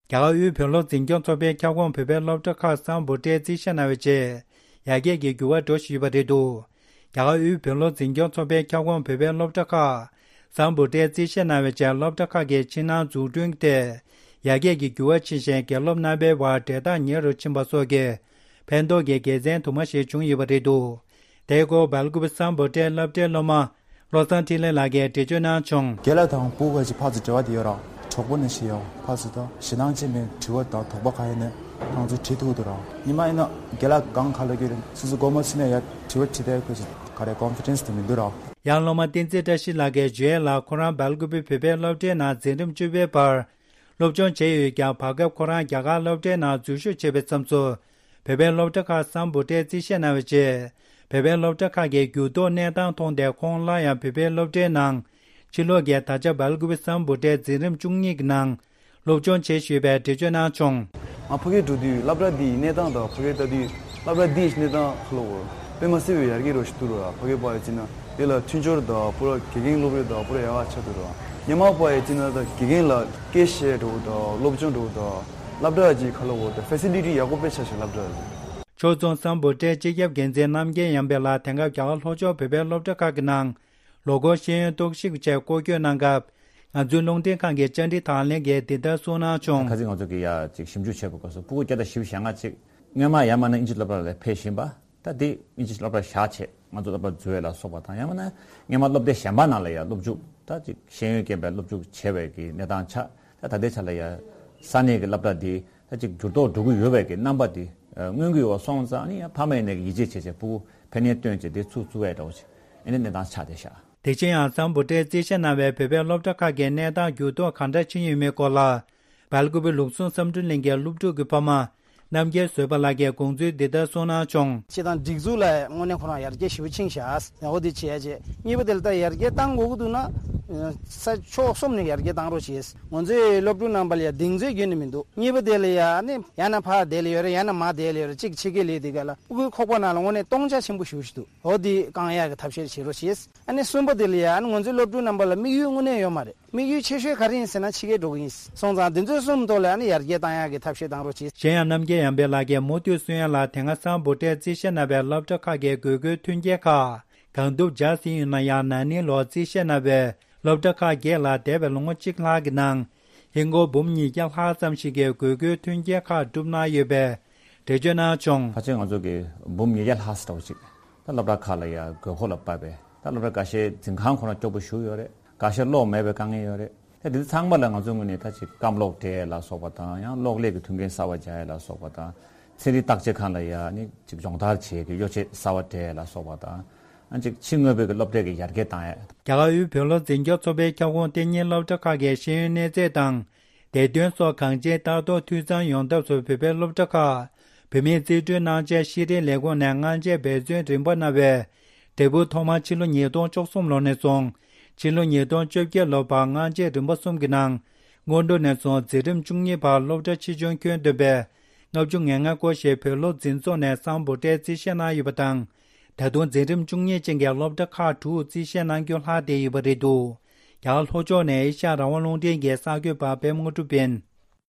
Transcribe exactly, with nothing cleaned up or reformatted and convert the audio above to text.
རྒྱ་གར་དབུས་བོད་སློབ་འཛིན་སྐྱོང་ཚོགས་པའི་ཁྱབ་ཁོངས་བོད་པའི་སློབ་གྲྭ་ཁག་སམ་བྷོ་ཊས་རྩིས་བཞེས་གནང་བའི་རྗེས། ཡར་རྒྱས་ཀྱི་འགྱུར་བ་འགྲོ་བཞིན་ཡོད་པ་རེད་འདུག་རྒྱ་གར་དབུས་བོད་སློབ་འཛིན་སྐྱོང་ཚོགས་པའི་ཁྱབ་ཁོངས་བོད་པའི་སློབ་གྲྭ་ཁག་སམ་བྷོ་ཊས་རྩིས་བཞེས་གནང་བའི་རྗེས། སློབ་གྲྭ་ཁག་གི་ཕྱི་ནང་འཛུགས་སྐྲུན་ཐད་ཡར་རྒྱས་ཀྱི་འགྱུར་བ་ཕྱིན་ཞིང་། དགེ་སློབ་རྣམ་པའི་བར་འབྲེལ་ཐག་ཉེ་རུ་ཕྱིན་པ་སོགས་ཀྱི་ཕན་ཐོགས་ཀྱི་དགེ་མཚན་དུ་མ་ཞིག་བྱུང་ཡོད་པ་རེད་འདུག་དེའི་སྐོར་སྦེལ་ཀུ་པེ་སམ་བྷོ་ཊའི་སློབ་གྲྭའི་སློབ་མ་བློ་བཟང་འཕྲིན་ལས་ལགས་ཀྱིས་འགྲེལ་བརྗོད་གནང་བྱུང་། རྒན་ལགས་དང་སྤུ་གུ་ཅིག་ཕར་ཚུར་འབྲེལ་བ་དེ་ཡོད་ར། གྲོགས་པོ་ནང་བཞིན་ཡོད། ཕར་ཚུར་དང་ཞེ་སྡང་ཅན་པའི་དྲི་བ་དང་དོགས་པ་ག་ཡིན་ནའི་ཁོང་ཚོས་དྲི་ཐུབ་འདུག་ར། ཉི་མ་ཡིན་ན་རྒན་ལགས་སྒང་ག་ལ་གི་རེད། སོ་སོ་སྒོ་མོ་ཕྱེ་ནས་ཡར་དྲི་བ་དྲིས་ཏེ་ཁོས་ཅིག་ག་རེ་ཀོན་ཕི་ཌེན་སི་དེ་མི་འདུག་ར། ཡང་སློབ་མ་བསྟན་འཛིན་བཀྲ་ཤིས་ལགས་ཀྱིས་བརྗོད་ཡས་ལ། ཁོ་རང་སྦེལ་ཀུ་པེ་བོད་པའི་སློབ་གྲྭའི་ནང་འཛིན་རིམ་བཅུ་པའི་བར་སློབ་སྦྱོང་བྱས་ཡོད་ཀྱང་། བར་སྐབས་ཁོ་རང་རྒྱ་གར་སློབ་གྲྭའི་ནང་འཛུལ་ཞུགས་བྱས་པའི་མཚམས་སུ། བོད་པའི་སློབ་གྲྭ་ཁག་སམ་བྷོ་ཊས་རྩིས་བཞེས་གནང་བའི་རྗེས། བོད་པའི་སློབ་གྲྭ་ཁག་གི་འགྱུར་ལྡོག་གནས་སྟངས་མཐོང་སྟེ། ཁོང་སླར་ཡང་བོད་པའི་སློབ་གྲྭའི་ནང་ཕྱིར་ལོག་གིས། ད་ཆ་སྦེལ་ཀུ་པེ་སམ་བྷོ་ཊའི་འཛིན་རིམ་བཅུ་གཉིས་ཀྱི་ནང་སློབ་སྦྱོང་བྱེད་བཞིན་པའི་འགྲེལ་བརྗོད་གནང་བྱུང་། ང་ཕ་གིར་འགྲོ་དུས་སློབ་གྲྭ་འདིའི་གནས་སྟངས་དང་ཕ་གིར་ལྟ་དུས་སློབ་གྲྭ་འདིའི་གནས་སྟངས་ཁ་ལོ་བོར་དཔེ་མ་སྲིད་པའི་ཡར་རྒྱས་རོ་ཞིག་འདུག་ར། ཕ་གིར་ཕར་ཡོད་ཅེ་ན་དེ་ལ་མཐུན་སྦྱོར་དང་པུ་ར་དགེ་རྒན་སློབ་རིམ་དང་པུ་ར་ཡག་པ་ཆགས་འདུག་ར། སྔོན་མ་ཕར་ཡོད་ཅེ་ན་ད་དགེ་རྒན་ལ་སྐད་བཤད་འགྲོ་དང་སློབ་སྦྱོང་འགྲོ་དང་སློབ་གྲྭ་གི་ཁ་ལོ་བོར་དང་ཕེ་སི་ལི་ཊི་ཡག་པོ་དཔེ་ཆ་ཞིག་སློབ་གྲྭ་རེད། ཕྱོགས་མཚུངས་སམ་བྷོ་ཊའི་སྤྱི་ཁྱབ་འགན་འཛིན་རྣམ་རྒྱལ་ཡར་འཕེལ་ལགས་དེང་སྐབས་རྒྱ་གར་ལྷོ་ཕྱོགས་བོད་པའི་སློབ་གྲྭ་ཁག་གི་ནང་ལོ་འཁོར་ཤེས་ཡོན་རྟོག་ཞིབ་ཆེད་སྐོར་སྐྱོད་གནང་སྐབས། ང་ཚོའི་རླུང་འཕྲིན་ཁང་གི་བཅར་འདྲི་དང་ལེན་གྱིས་འདི་ལྟར་གསུངས་གནང་བྱུང་། ཁ་སང་ང་ཚོ་གིས་ཡ་ཅིག་ཞིབ་འཇུག་བྱས་པའི་སྐབས་སུ་སྤུ་གུ་བརྒྱ་དང་བཞི་བཅུ་ཞེ་ལྔ་ཅིག་སྔོན་མ་ཡར་མར་ནས་དབྱིན་ཇི་སློབ་གྲྭ་ལ་ཕེབས་བཞིན་པ། ད་དེ་དབྱིན་ཇི་སློབ་གྲྭ་བཞག་བྱས་ང་ཚོ་སློབ་གྲྭ་འཛུལ་བ་ལ་སོགས་པ་དང་། ཡང་མིན་ན་སྔོན་མ་སློབ་སྡེ་གཞན་པ་ནང་ལ་ཡང་སློབ་འཇུག་ད་ཅིག་ཤེས་ཡོན་སྐྱེས་པའི་སློབ་འཇུག་བྱས་པའི་གི་གནས་སྟངས་ཆགས། ད་ད་ལྟའི་ཆ་ལ་ཡང་ས་གནས་ཀྱི་སློབ་གྲྭ་འདི་ད་ཅིག་འགྱུར་ལྡོག་འགྲོ་གི་ཡོད་པའི་གི་རྣམ་པ་འདི་མངོན་གྱི་ཡོད་པ་སོང་ཙང་། ཨ་ནི་ཡང་ཕ་མ་ཡིན་ནའི་ཡིད་ཆེས་བྱས་བྱས་སྤུ་གུ་ཕན་ནུས་བཏོན་བྱས་དེ་ཚུགས་ཚུགས་པའི་འདྲ་བོ་ཅིག་ཨ་ནི་གནས་སྟངས་ཆགས་བསྡད་ཤག་དེ་བཞིན་ཡང་སམ་བྷོ་ཊས་རྩིས་བཞེས་གནང་བའི་བོད་པའི་སློབ་གྲྭ་ཁག་གི་གནས་སྟངས་འགྱུར་ལྡོག་གང་འདྲ་ཕྱིན་ཡོད་མེད་སྐོར་ལ། སྦེལ་ཀུ་པེ་ལུགས་ཟུང་བསམ་གྲུབ་གླིང་གི་སློབ་ཕྲུག་གི་ཕ་མ་རྣམ་རྒྱལ་བཟོད་པ་ལགས་ཀྱིས་དགོངས་ཚུལ་འདི་ལྟར་གསུངས་གནང་བྱུང་། སྤྱི་དང་སྒྲིག་འཛུགས་ལ་དངོས་གནས་ཁོ་རང་ཡར་རྒྱས་ཞེ་པོ་ཕྱིན་ཤག་འོ་དེ་བྱས་རྗེས་གཉིས་པ་དེ་ལ་ད་ཡར་རྒྱས་བཏང་དགོས་ཀྱི་འདུག་ན། ས་ཕྱོགས་གསུམ་ནས་ཡར་རྒྱས་བཏང་རོགས་བྱེད། ང་ཚོའི་སློབ་ཕྲུག་རྣམ་པ་ལ་ཡ་གདེང་ཚོད་ཡོད་ནི་མི་འདུག་གཉིས་པ་དེ་ལ་ཡ་ནི་ཡང་ན་ཕར་བསྡད་ལ་ཡོད་རེད། ཡང་ན་མར་བསྡད་ལ་ཡོད་རེད། གཅིག་ཕྱི་རྒྱལ་ལ་དེ་ག་ལ་སྤུ་གུའི་ཁོག་པ་ནང་ལ་དངོས་གནས་སྟོང་ཆ་ཆེན་པོ་ཞེ་པོ་ཞིག་འདུག་འོ་དེ་བསྐང་ཡག་གི་ཐབས་ཤེས་བྱེད་རོགས་བྱེད། ཨ་ནི་གསུམ་པ་དེ་ལ་ཡ་ཨ་ནི་ང་ཚོའི་སློབ་ཕྲུག་རྣམ་པ་ལ་དམིགས་ཡུལ་དངོས་གནས་ཡོད་མ་རེད། དམིགས་ཡུལ་ཆེ་ཤོས་ག་རེ་ཡིན་ཟེར་ན་ཕྱི་རྒྱལ་འགྲོ་གི་ཡིན་སོང་ཙང་དེ་ཚོའི་གསུམ་ཐོག་ལ་ཨ་ནི་ཡར་རྒྱས་བཏང་ཡག་གི་ཐབས་ཤེས་བཏང་རོགས་གྱིས། གཞན་ཡང་རྣམ་རྒྱལ་ཡར་འཕེལ་ལགས་ཀྱིས་མུ་མཐུད་གསུང་ཡག་ལ། དེ་སྔ་སམ་བྷོ་ཊས་རྩིས་བཞེས་གནང་བའི་སློབ་གྲྭ་ཁག་གི་དགོས་མཁོའི་མཐུན་རྐྱེན་ཁག་གང་ཐུབ་སྦྱར་ཟིན་ཡོད་ན་ཡང་། ན་ནིང་ལོར་རྩིས་བཞེས་གནང་བའི་སློབ་གྲྭ་ཁག་བརྒྱད་ལ་འདས་པའི་ལོ་ངོ་གཅིག་ལྷག་གི་ནང་ཧིན་སྒོར་འབུམ་ཉིས་བརྒྱ་ལྷག་ཙམ་ཞིག་གི་དགོས་མཁོའི་མཐུན་རྐྱེན་ཁག་བསྒྲུབས་གནང་ཡོད་པའི་འགྲེལ་བརྗོད་གནང་བྱུང་། ཕལ་ཆེར་ང་ཚོ་གི་འབུམ་ཉིས་བརྒྱ་ལྷག་ཙམ་འདྲ་བོ་ཅིག་ད་སློབ་གྲྭ་ཁག་ལ་ཡ་དགོས་མཁོ་ལ་དཔག་པའི། ད་སློབ་གྲྭ་འགའ་ཤས་འཛིན་ཁང་ཁོ་ན་སྐྱོ་པོ་ཞེ་པོ་ཡོད་རེད། འགའ་ཤས་གློག་མེད་པའི་དཀའ་ངལ་ཡོད་རེད། ད་དེ་ཚང་མ་ལ་ང་ཚོའི་ངོས་ནས་ད་ཅིག་སྐམ་གློག་སྤྲད་ལ་སོགས་པ་དང་། ཡང་གློག་ཀླད་ཀྱི་མཐུན་རྐྱེན་གསར་པ་སྦྱར་ཡ་ལ་སོགས་པ་དང་། ཚན་རིག་བརྟག་དཔྱད་ཁང་ལ་ཡ་ནི་ཅིག་སྦྱོང་བརྡར་བྱེད་ཀྱི་གཡོ་ཆས་གསར་པ་སྤྲད་ལ་སོགས་པ་དང་། ཨ་ཅིག་ཕྱི་དངོས་པོའི་གི་སློབ་གྲྭའི་གི་ཡར་རྒྱས་བཏང་ཡ། རྒྱ་གར་དབུས་བོད་སློབ་འཛིན་སྐྱོང་ཚོགས་པའི་ཁྱབ་ཁོངས་ལྟེ་གཉིས་སློབ་གྲྭ་ཁག་གི་ཤེས་ཡོན་གནས་ཚད་དང་། བདེ་དོན་སོགས་གང་ཅིའི་ལྟ་རྟོག་འཐུས་ཚང་ཡོང་ཐབས་སུ། བོད་པའི་སློབ་གྲྭ་ཁག་བོད་མིའི་རྩིས་སྤྲོད་གནང་ཆེད་ཤེས་རིག་ལས་ཁུངས་ནས་སྔ་རྗེས་འབད་བརྩོན་རིམ་པ་གནང་བའི་འབྲས་བུ་ཐོག་མར་ཕྱི་ལོ་ཉིས་སྟོང་བཅུ་གསུམ་ལོ་ནས་བཟུང་ཕྱི་ལོ་ཉིས་སྟོང་བཅོ་བརྒྱད་ལོ་བར་སྔ་རྗེས་རིམ་པ་གསུམ་གྱི་ནང་སྔོན་འགྲོ་ནས་བཟུང་འཛིན་རིམ་བཅུ་གཉིས་བར་སློབ་གྲྭ་ཆེ་ཆུང་ཁྱོན་བསྡོམས་པའི་ལྔ་བཅུ་ང་ལྔ་སྐོར་ཞིག་བོད་སློབ་འཛིན་ཚོགས་ནས་སམ་བྷོ་ཊས་རྩིས་བཞེས་གནང་ཡོད་པ་དང་། ད་དུང་འཛིན་རིམ་བཅུ་གཉིས་ཅན་གྱི་སློབ་གྲྭ་ཁག་དྲུག་རྩིས་བཞེས་གནང་རྒྱུ་ལྷག་བསྡད་ཡོད་པ་རེད་འདུག་རྒྱ་གར་ལྷོ་ཕྱོགས་ནས་ཨེ་ཤ་ཡ་རང་དབང་རླུང་འཕྲིན་གྱི་གསར་འགོད་པ་པད་མ་དངོས་གྲུབ་ཡིན།